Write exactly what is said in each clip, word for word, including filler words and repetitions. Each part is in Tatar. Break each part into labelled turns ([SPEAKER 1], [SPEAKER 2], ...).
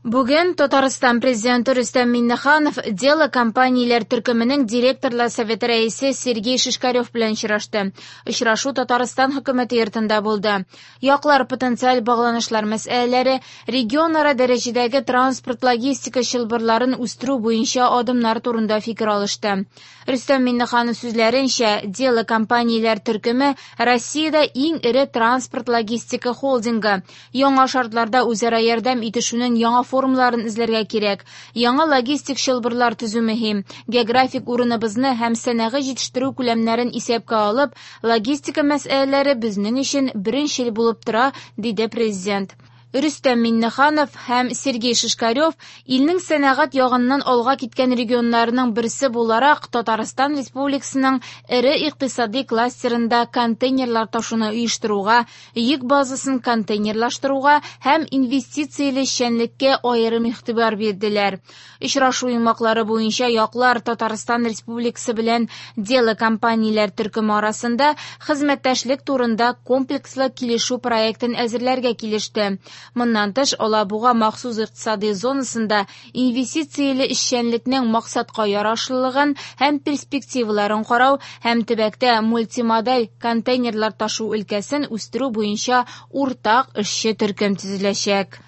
[SPEAKER 1] Бүген Татарстан президенты Рөстәм Миңнеханов «Дело» компанияләр төркеменең директорлар советы рәисе Сергей Шишкарев белән очрашты. Очрашу Татарстан хөкүмәте йортында булды. Яклар потенциаль багланышлар мәсьәләләре, регионара дәрәҗәдәге транспорт-логистика чылбырларын үстерү буенча адымнар турында фикер алышты. Рөстәм Миңнеханов сүзләренчә, «Дело» компанияләр төркеме Россиядә иң эре транспорт-логистика холдингы. Яңа шартларда үзара ярдәм итешүнең яңа формаларын эзләргә кирәк. Яңа логистик чылбырлар төзү мөһим. Географик урыныбызны һәм сәнәгый җитештерү күләмнәрен исәпкә алып, логистика мәсьәләләре безнең өчен беренчел булып тора, диде президент. Рөстәм Миңнеханов һәм Сергей Шишкарев илнең сәнәгать ягыннан алга киткән регионнарының берсе буларак Татарстан Республикасының эре икътисади кластерында контейнерлар ташуны оештыруга, йөк базасын контейнерлаштыруга һәм инвестицияле эшчәнлеккә аерым игътибар бирделәр. Очрашу йомгаклары буенча яклар Татарстан Республикасы белән «Дело» компанияләр төркеме арасында хезмәттәшлек турында комплекслы килешү проектын әзерләргә килеште. Моннан тыш, Алабуга махсус икътисади зонасында инвестицияле эшчәнлекнең максатка ярашлылыгын һәм перспективаларын карау һәм төбәктә мультимодаль контейнерлар ташу өлкәсен үстерү буенча уртак эшче төркем төзеләчәк.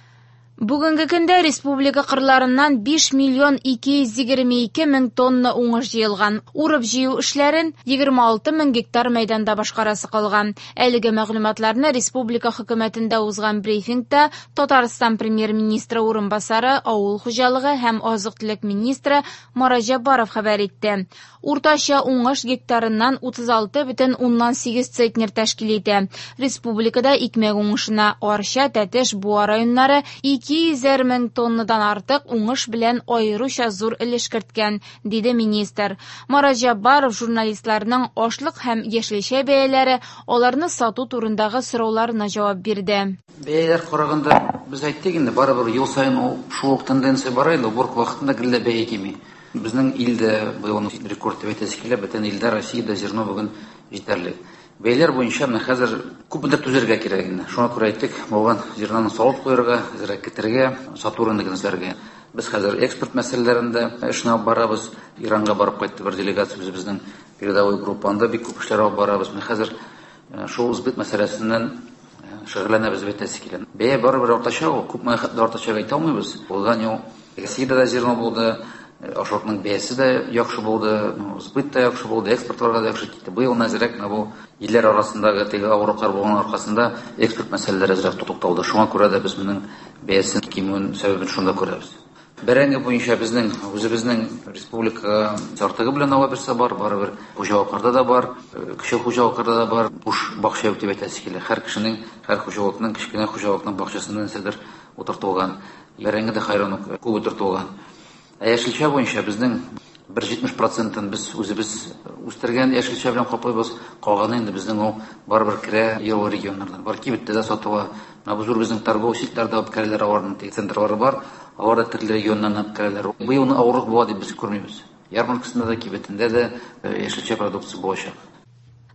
[SPEAKER 1] Бүгенге көндә республика кырларыннан биш миллион ике йөз егерме ике мең тонна уңыш җыелган. Урып җыю эшләрен егерме алты мең гектар мәйданда башкарасы калган. Әлеге мәгълүматларны республика хөкүмәтендә узган брифингта Татарстан премьер-министры урынбасары, авыл хуҗалыгы һәм азык-төлек министры Марат Җәббаров хәбәр итте. Уртача уңыш гектарыннан утыз алты бөтен уннан сигез центнер тәшкил итә. Республикада икмәк уңышына Арча, Тәтеш, Буа районнары ике йөзәр мең тоннадан артык уңыш белән аеруча зур өлеш керткән, диде министр. Марат Җәббаров журналистларның ашлык һәм яшелчә бәяләре, аларны сату турындагы сорауларына җавап бирде.
[SPEAKER 2] Бәяләр караганда без әйттек инде, барыбер ел саен шул ук тенденция бара инде, уборка вакытында гел дә бәя кими. Безнең илдә быел рекорд дип әйтәсе килә, бөтен илдә Россиядә зерно бүген җитәрлек. Бәяләр буенча менә хәзер күпмедер түзәргә кирәк инде. Шуңа күрә әйттек, булган зерноны салып куярга, әзрәк китерергә, сату рыногын эзләргә. Без хәзер экспорт мәсьәләләрендә эшне алып барабыз. Иранга барып кайтты бер делегация үзебезнең передовой группа. Анда бик күп эшләр алып барабыз. Менә хәзер шул сбыт мәсьәләсеннән шөгыльләнәбез дип әйтәсе килә. Бәя барыбер артачак, ул күпме хәтле артачак әйтә алмыйбыз. Узган ел Россиядә дә зерно булды, ашлыкның бәясе дә яхшы булды, сбыт та яхшы булды, экспортларга да яхшы китте. Быел әзрәк менә бу илләр арасындагы теге авырлыклар булган аркасында экспорт мәсьәләләре әзрәк тукталды. Шуңа күрә дә без моның бәясен кимүен сәбәбен шунда күрәбез. Бәрәңге буенча безнең үзебезнең республика артыгы белән ала берсе бар, барыбер хуҗалыкларда да бар, кече хуҗалыкларда да бар, буш бакча юк дип әйтәсе килә. Һәр кешенең, һәр хуҗалыкның, кечкенә хуҗалыкның бакчасында нәрсәдер утыртылган. Бәрәңге дә хайран ук күп утыртылган. Ә яшелчә буенча безнең бер җитмеш процентын без үзебез үстергән яшелчә белән каплыйбыз. Калганы инде безнең ул барыбер керә елгы регионнардан. Бар кибеттә дә сатыла. Менә бу зур безнең торговый сетьләрдә алып керәләр, аларның теге центрлары бар. Алар да төрле регионнан алып керәләр. Быел авырлык була дип без күрмибез. Ярмаркасында да, кибетендә дә яшелчә продукция булачак.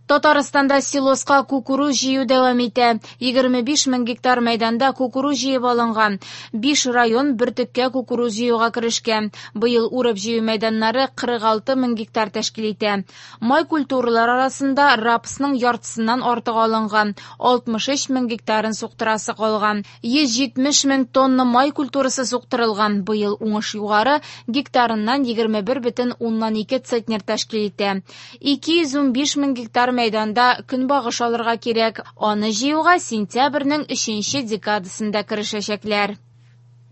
[SPEAKER 1] Татарстанда силоска кукуруз җыю дәвам итә. Егерме биш мең гектар мәйданда кукуруз җыеп алынган. Биш район бөртеккә кукуруз җыюга керешкән. Быел урып җыю мәйданнары кырык алты мең гектар тәшкил итә. Май культуралар арасында рапсның яртысыннан артык алынган. Алтмыш өч мең гектарын суктырасы калган. Йөз җитмеш мең тонна май культурасы суктырылган. Быел уңыш югары, гектарыннан егерме бер бөтен уннан ике центнер тәшкил итә. Ике йөз унбиш мең гектар мәйданда көнбагыш алырга кирәк. Аны җыюга сентябрьнең өченче декадасында керешәчәкләр.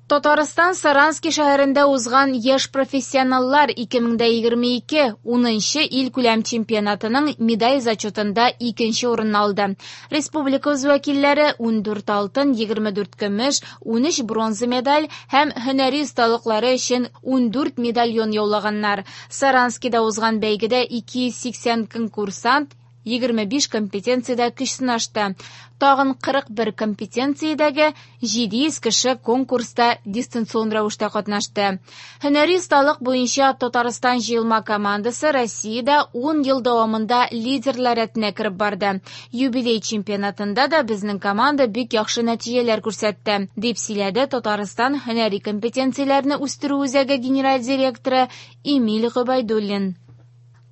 [SPEAKER 1] Татарстан Саранский шәһәрендә узган яшь профессионаллар ике мең дә егерме ике унынчы ил күләм чемпионатының медаль зачетында икенче урынны алды. Республика вәкилләре ундүрт алтын, егерме дүрт көмеш, унөч бронза медаль һәм һөнәри осталыклары өчен ундүрт медальон яулаганнар. Саранскийда узган бәйгедә ике йөз сиксән конкурсант егерме биш компетенциядә көч сынашты. Тагын кырык бер компетенциядәге җиде йөз кеше конкурста дистанцион рәвештә катнашты. Һөнәри осталык буенча Татарстан җыелма командасы Россиядә ун ел дәвамында лидерлар рәтенә кереп барды. Юбилей чемпионатында да безнең команда бик яхшы нәтиҗәләр күрсәтте, дип сөйләде Татарстан һөнәри компетенцияләрне үстерү үзәге генераль директоры Эмиль Гобәйдуллин.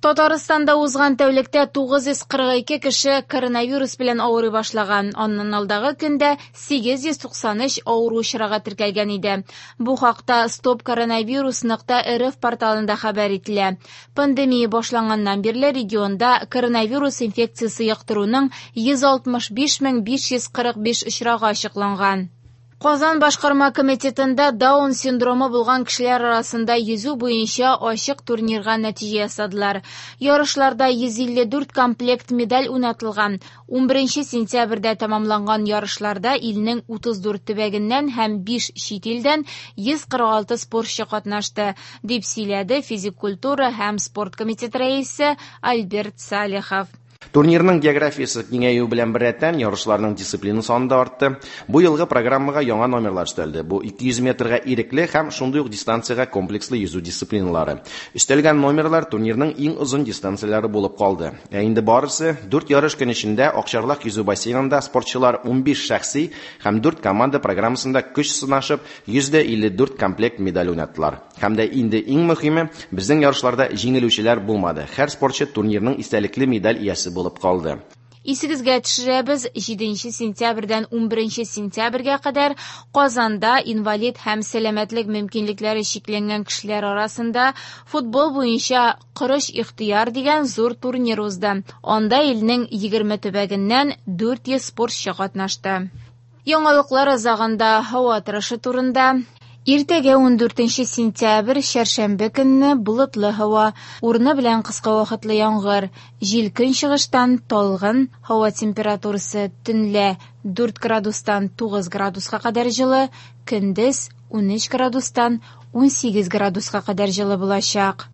[SPEAKER 1] Татарстанда узган тәүлектә тугыз йөз кырык ике кеше коронавирус белән авырый башлаган. Аннан алдагы көндә сигез йөз туксан өч авыру очрагы теркәлгән иде. Бу хакта стоп коронавирус нокта рф порталында хәбәр ителә. Пандемия башланганнан бирле регионда коронавирус инфекциясе йоктыруның йөз алтмыш биш мең биш йөз кырык биш очрагы ачыкланган. Казан башкарма комитетында Даун синдромы булган кешеләр арасында йөзү буенча ачык турнирга нәтиҗә ясадылар. Ярышларда йөз илле дүрт комплект медаль уйнатылган. Унберенче сентябрьдә тәмамланган ярышларда илнең утыз дүрт төбәгеннән һәм биш чит илдән йөз кырык алты спортчы катнашты, дип сөйләде физик культура һәм спорт комитеты рәисе Альберт Салихов.
[SPEAKER 3] Турнирның географиясе киңәюе белән беррәттән ярышларның дисциплина саны да артты. Бу елгы программага яңа номерлар өстәлде. Бу ике йөз метрга ирекле һәм шундый ук дистанциягә комплекслы йөзү дисциплиналары. Өстәлгән номерлар турнирның иң озын дистанцияләре булып калды. Ә инде барысы дүрт ярыш көн эчендә Акчарлак йөзү бассейнында спортчылар унбиш шәхси һәм дүрт команда программасында көч сынашып йөз дә илле дүрт комплект медаль уйнаттылар. Һәм дә инде иң мөһиме, безнең ярышларда җиңелүчеләр булмады. Һәр спортчы турнирның истәлекле медаль иясе булып калды.
[SPEAKER 1] Исегезгә төшерәбез, җиденче сентябрьдән унберенче сентябрьгә кадәр Казанда инвалид һәм сәламәтлек мөмкинлекләре чикләнгән кешеләр арасында футбол буенча Корыч ихтыяр дигән зур турнир узды. Анда илнең егерме төбәгеннән дүрт йөз спортчы катнашты. Яңалыклар азагында һава торышы турында. Иртәгә ундүртенче сентябрь, чәршәмбе көнне болытлы һава, урыны белән кыска вакытлы яңгыр, җил көнчыгыштан талгын, һава температурасы төнлә дүрт градустан тугыз градуска кадәр җылы, көндез унөч градустан унсигез градуска кадәр җылы булачак.